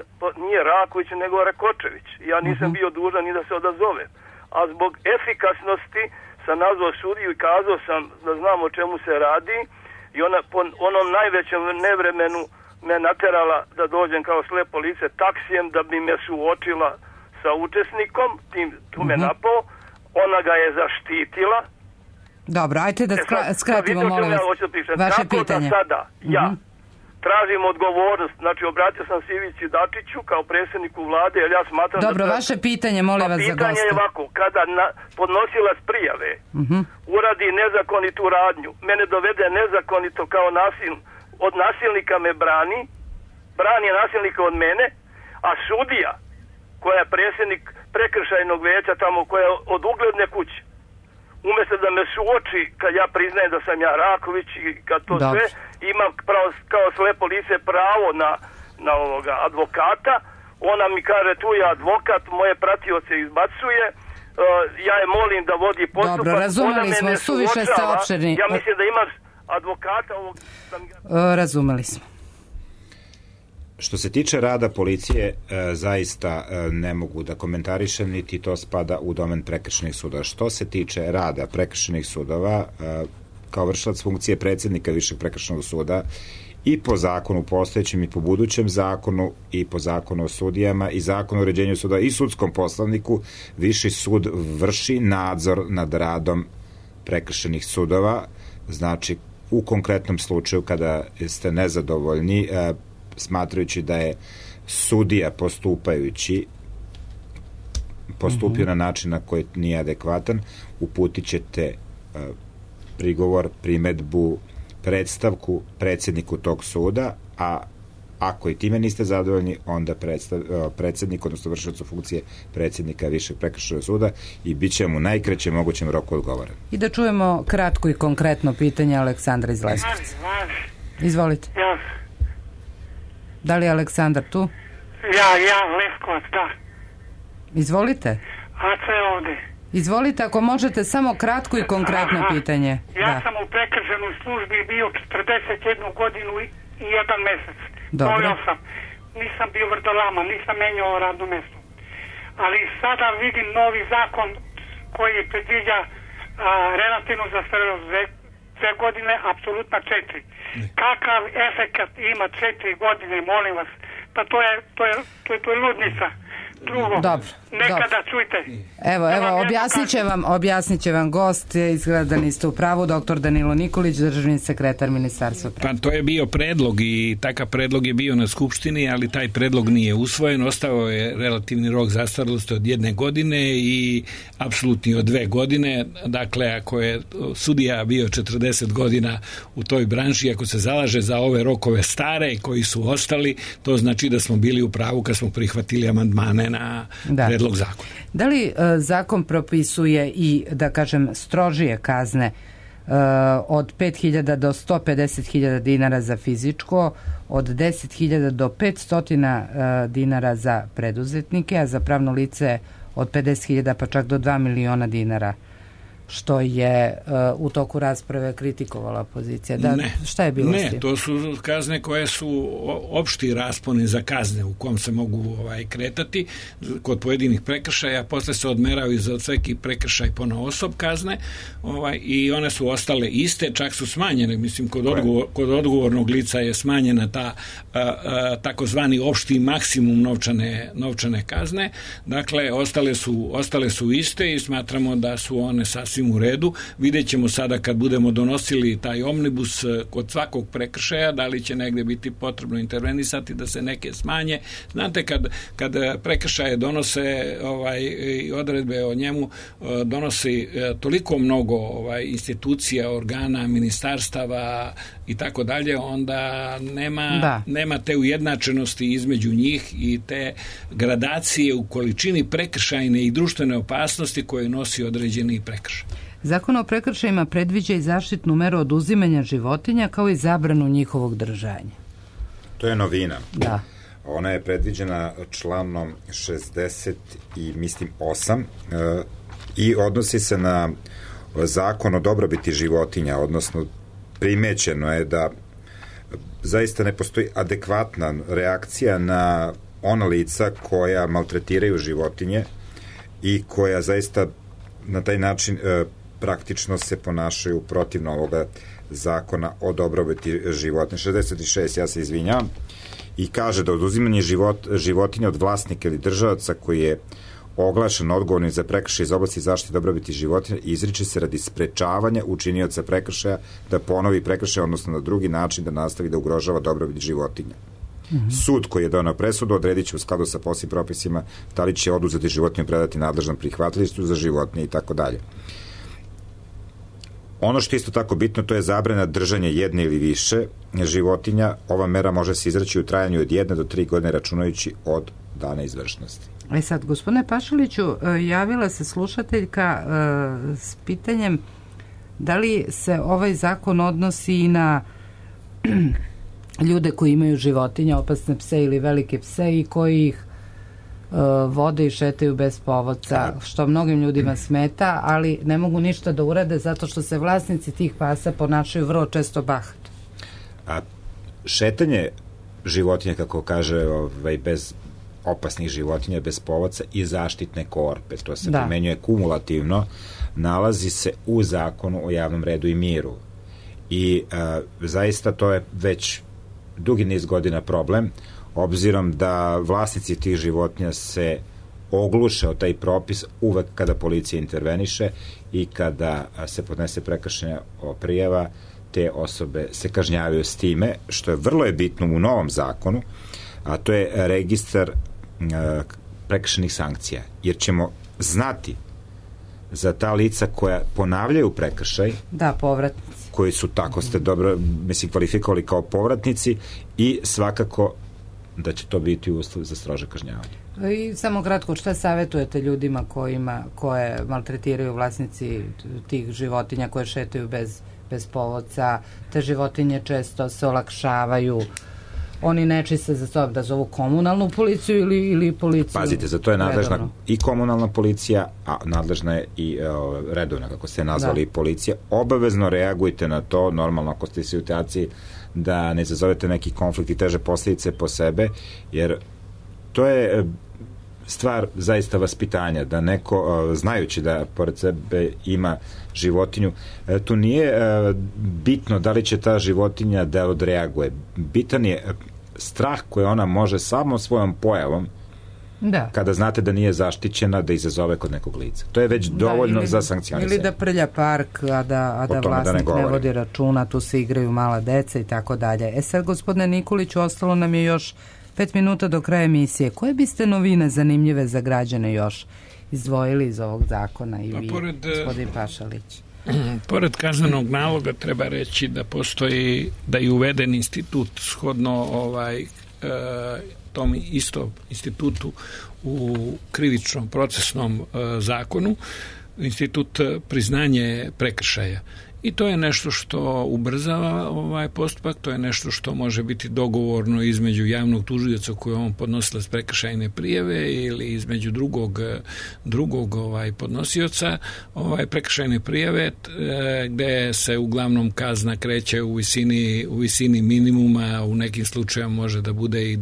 nije Raković nego Rakočević. Ja nisam bio dužan ni da se odazovem. A zbog efikasnosti sam nazvao sudiju i kazao sam da znam o čemu se radi i ona po onom najvećem nevremenu me naterala da dođem kao slepo lice taksijem da bi me suočila sa učesnikom, tu me napao, ona ga je zaštitila. Dobro, ajte da skratimo, molim vas, vaše pitanje. Tako da sada ja tražim odgovornost, znači obratio sam se Ivici Dačiću kao predsjedniku vlade, jer ja smatram Dobro, vaše pitanje, molim vas za goste. Pitanje je ovako, kada podnosilac prijave uradi nezakonitu radnju, mene dovede nezakonito kao od nasilnika me brani nasilnika od mene, a sudija koja je predsjednik prekršajnog veća tamo, koja je od ugledne kuće, umjesto da me suoči kad ja priznajem da sam ja Raković i kad to sve, imam kao slepo lice pravo na ovoga advokata, ona mi kaže tu je advokat, moje pratioce izbacuje, ja je molim da vodi postupak. Dobro, razumeli smo, suviše ste opširni. Ja mislim da imam advokata ovog... Razumeli smo. Što se tiče rada policije, zaista ne mogu da komentarišem, niti to spada u domen prekršajnih sudova. Što se tiče rada prekršajnih sudova, kao vršilac funkcije predsjednika Višeg prekršajnog suda, i po zakonu postojećem i po budućem zakonu i po zakonu o sudijama i zakonu o uređenju suda i sudskom poslovniku, Viši sud vrši nadzor nad radom prekršajnih sudova. Znači, u konkretnom slučaju kada ste nezadovoljni, smatrajući da je sudija postupio na način na koji nije adekvatan, uputit ćete prigovor, primedbu, predstavku predsjedniku tog suda, a ako i time niste zadovoljni, onda predsjednik, odnosno vršiocu funkcije predsjednika Višeg prekršajnog suda, i bit će mu najkraćem mogućem roku odgovoren. I da čujemo kratko i konkretno pitanje Aleksandra iz Leskovca. Izvolite. Da li je Aleksandar tu? Ja, Leskovac, da. Izvolite. Aca je ovde. Izvolite, ako možete, samo kratko i konkretno pitanje. Ja sam u prekršajnoj službi bio 41 godinu i 1 mesec. Dobro. Sam. Nisam bio vrdolama, nisam menjao radno mesto. Ali sada vidim novi zakon koji predviđa relativnu zastarelost 2 godine, apsolutno 4. Kakav efekat ima 4 godine, molim vas? Pa to je ludnica. Drugo, nekada čujte. Evo, objasnit će vam gost, izgleda da niste u pravu, doktor Danilo Nikolić, državni sekretar Ministarstva prava. Pa to je bio predlog i takav predlog je bio na Skupštini, ali taj predlog nije usvojen, ostao je relativni rok zastarelosti od 1 godine i apsolutni od 2 godine. Dakle, ako je sudija bio 40 godina u toj branši, ako se zalaže za ove rokove stare koji su ostali, to znači da smo bili u pravu kad smo prihvatili amandmane na predlog zakona. Da li zakon propisuje i, da kažem, strožije kazne od 5.000 do 150.000 dinara za fizičko, od 10.000 do 500 dinara za preduzetnike, a za pravno lice od 50.000 pa čak do 2 miliona dinara, što je u toku rasprave kritikovala opozicija. Šta je bilo s tim? Ne, to su kazne koje su opšti rasponi za kazne u kom se mogu kretati kod pojedinih prekršaja, posle se odmeravaju za svaki prekršaj ponaosob kazne i one su ostale iste, čak su smanjene, mislim kod odgovornog lica je smanjena ta takozvani opšti maksimum novčane kazne, dakle ostale su iste i smatramo da su one sasvim sasvim u redu. Vidjet ćemo sada kad budemo donosili taj omnibus kod svakog prekršaja, da li će negde biti potrebno intervenisati da se neke smanje. Znate, kad prekršaje donose odredbe o njemu donosi toliko mnogo institucija, organa, ministarstava i tako dalje, onda nema te ujednačenosti između njih i te gradacije u količini prekršajne i društvene opasnosti koje nosi određeni prekršaj. Zakon o prekršajima predviđa i zaštitnu meru oduzimanja životinja kao i zabranu njihovog držanja. To je novina. Da. Ona je predviđena članom 60 i mislim 8 i odnosi se na zakon o dobrobiti životinja, odnosno primećeno je da zaista ne postoji adekvatna reakcija na ona lica koja maltretiraju životinje i koja zaista na taj način praktično se ponašaju protivno ovoga zakona o dobrobiti životinja. 66, ja se izvinjavam, i kaže da oduzimanje životinja od vlasnika ili državaca koji je oglašen odgovornim za prekršaj iz oblasti zaštite dobrobiti životinja izriče se radi sprečavanja učinioca prekršaja da ponovi prekršaj, odnosno na drugi način da nastavi da ugrožava dobrobit životinja. Sud koji je doneo presudu odredit će u skladu sa posebnim propisima da li će oduzeti životinju predati nadležnom prihvatilištu za životinje i tako dalje. Ono što je isto tako bitno, to je zabrana držanja jedne ili više životinja. Ova mera može se izreći u trajanju od 1 do 3 godine računajući od dana izvršnosti. Sad, gospodine Pašaliću, javila se slušateljka s pitanjem da li se ovaj zakon odnosi i na ljude koji imaju životinja, opasne pse ili velike pse i koji ih vode i šetaju bez povodca, što mnogim ljudima smeta, ali ne mogu ništa da urade zato što se vlasnici tih pasa ponašaju vrlo često bahato. Šetanje životinja, kako kaže, bez opasnih životinja, bez povodca i zaštitne korpe, to se primenjuje kumulativno, nalazi se u zakonu o javnom redu i miru. I zaista to je već dugi niz godina problem, obzirom da vlasnici tih životinja se ogluše o taj propis uvek kada policija interveniše i kada se podnese prekršajna prijava, te osobe se kažnjavaju s time, što je vrlo bitno u novom zakonu, a to je registar prekršajnih sankcija, jer ćemo znati za ta lica koja ponavljaju prekršaj, povratnici, koji su, tako ste dobro kvalifikovali kao povratnici, i svakako da će to biti uslov za strože kažnjavanje. I samo kratko, šta savjetujete ljudima koje maltretiraju vlasnici tih životinja koje šetaju bez povodca? Te životinje često se olakšavaju, oni ne čiste za to da zovu komunalnu policiju ili policiju? Pazite, za to je nadležna i komunalna policija, a nadležna je i redovna, kako ste nazvali, policija. Obavezno reagujte na to, normalno ako ste u situaciji da ne izazovete neki konflikt i teže posljedice po sebe, jer to je stvar zaista vaspitanja, da neko, znajući da pored sebe ima životinju, tu nije bitno da li će ta životinja da odreaguje. Bitan je strah koji ona može samo svojom pojavom, kada znate da nije zaštićena, da izazove kod nekog lica. To je već dovoljno za sankcionisanje. Ili da prlja park, a da vlasnik ne vodi računa, tu se igraju mala deca i tako dalje. Sad, gospodine Nikoliću, ostalo nam je još 5 minuta do kraja emisije. Koje biste novine zanimljive za građane još izdvojili iz ovog zakona i vi, gospodin Pašalić? Pored kaznenog naloga treba reći da postoji, da je uveden institut shodno tom istom institutu u krivičnom procesnom zakonu, institut priznanje prekršaja. I to je nešto što ubrzava ovaj postupak, to je nešto što može biti dogovorno između javnog tužioca koji on podnosilac prekršajne prijave ili između drugog podnosioca prekršajne prijave, gde se uglavnom kazna kreće u visini minimuma, u nekim slučajevima može da bude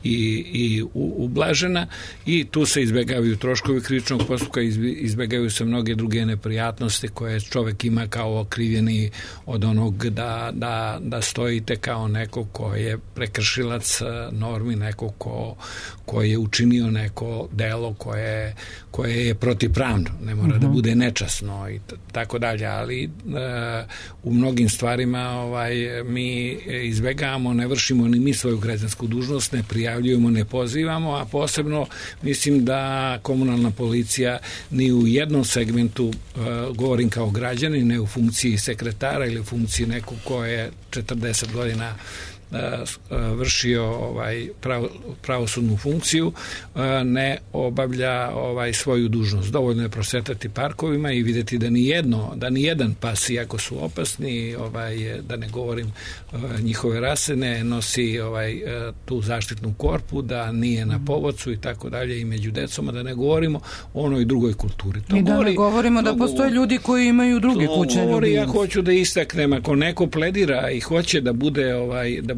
i ublažena, i tu se izbegavaju troškovi krivičnog postupka, izbegavaju se mnoge druge neprijatnosti koje čovek ima kao okrivljeni od onog da stojite kao neko ko je prekršilac normi, neko ko je učinio neko delo koje je protivpravno, ne mora da bude nečasno i tako dalje, ali u mnogim stvarima mi izbegavamo, ne vršimo ni mi svoju građansku dužnost, ne prijavljujemo, ne pozivamo, a posebno mislim da komunalna policija ni u jednom segmentu, govorim kao građanin, ne u funkciji sekretara ili u funkciji nekog ko je 40 godina vršio pravosudnu funkciju, ne obavlja svoju dužnost. Dovoljno je prošetati parkovima i vidjeti da ni jedan pas, iako su opasni, da ne govorim njihove rase, ne nosi tu zaštitnu korpu, da nije na povodcu i tako dalje i među decom, da ne govorimo o onoj drugoj kulturi. I da ne govorimo da postoje ljudi koji imaju druge kućne ljubimce. Ja hoću da istaknem, ako neko pledira i hoće da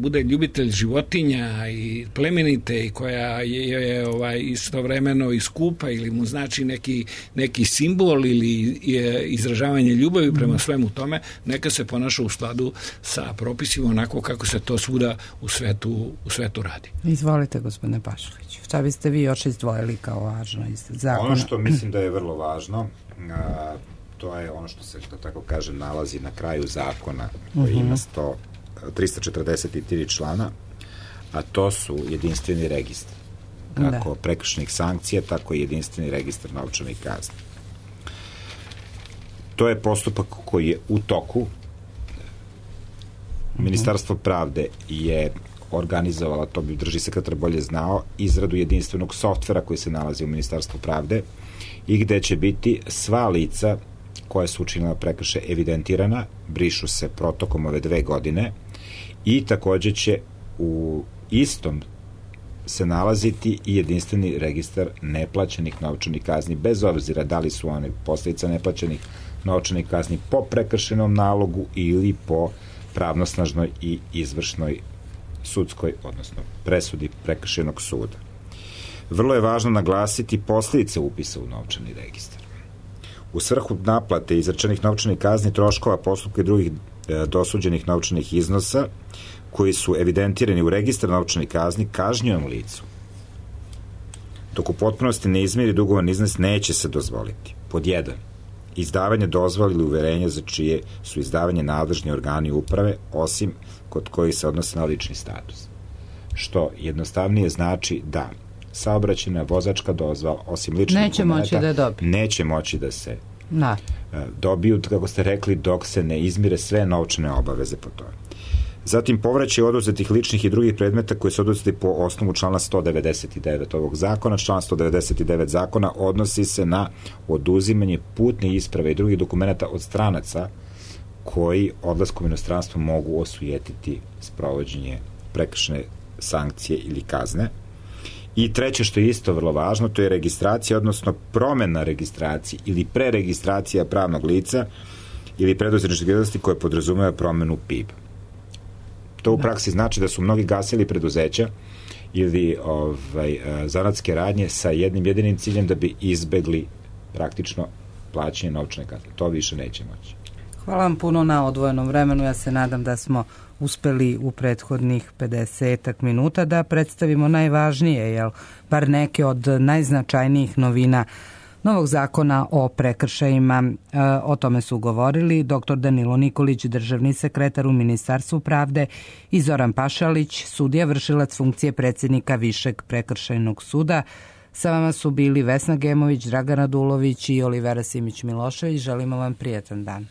bude ljubitelj životinja i plemenite i koja je istovremeno i skupa ili mu znači neki simbol ili izražavanje ljubavi prema svemu tome, neka se ponaša u skladu sa propisima onako kako se to svuda u svetu radi. Izvolite, gospodine Pašalić. Šta biste vi još izdvojili kao važno iz zakona? Ono što mislim da je vrlo važno, to je ono što se, što tako kaže, nalazi na kraju zakona koji ima 343 člana, a to su jedinstveni registar. Kako prekršajnih sankcija, tako i jedinstveni registar novčanih kazni. To je postupak koji je u toku. Ministarstvo pravde je organizovala, to bi državni sekretar bolje znao, izradu jedinstvenog softvera koji se nalazi u Ministarstvu pravde i gde će biti sva lica koja su učinila prekršaj evidentirana, brišu se protokom ove 2 godine i takođe će u istom se nalaziti i jedinstveni registar neplaćenih novčanih kazni, bez obzira da li su one posljedica neplaćenih novčanih kazni po prekršajnom nalogu ili po pravnosnažnoj i izvršnoj sudskoj, odnosno presudi prekršajnog suda. Vrlo je važno naglasiti posljedice upisa u novčani registar. U svrhu naplate izrečenih novčanih kazni, troškova postupka i drugih dosuđenih novčanih iznosa koji su evidentirani u registar novčanih kazni kažnjenom licu, dok u potpunosti ne izmiri dugovan iznos, neće se dozvoliti. Pod 1. Izdavanje dozvole ili uverenja za čije su izdavanje nadležni organi uprave, osim kod kojih se odnose na lični status. Što jednostavnije znači da saobraćajna vozačka dozvola, osim ličnih dokumenta, neće moći da se dobiju, kako ste rekli, dok se ne izmire sve novčane obaveze po tome. Zatim, povraćaj oduzetih ličnih i drugih predmeta koji su oduzeti po osnovu člana 199 ovog zakona. Član 199 zakona odnosi se na oduzimanje putne isprave i drugih dokumenta od stranaca koji odlaskom u inostranstvo mogu osujetiti sprovođenje prekršajne sankcije ili kazne. I treće, što je isto vrlo važno, to je registracija, odnosno promena registracije ili preregistracija pravnog lica ili preduzetničke djelatnosti koje podrazumeva promenu PIB. To u praksi znači da su mnogi gasili preduzeća ili zanatske radnje sa jednim jedinim ciljem da bi izbegli praktično plaćanje novčane kazne. To više neće moći. Hvala vam puno na odvojenom vremenu. Ja se nadam da smo uspeli u prethodnih 50 minuta da predstavimo najvažnije, bar neke od najznačajnijih novina novog zakona o prekršajima. O tome su govorili dr. Danilo Nikolić, državni sekretar u Ministarstvu pravde, i Zoran Pašalić, sudija vršilac funkcije predsjednika Višeg prekršajnog suda. Sa vama su bili Vesna Gemović, Dragana Dulović i Olivera Simić-Milošević. Želimo vam prijatan dan.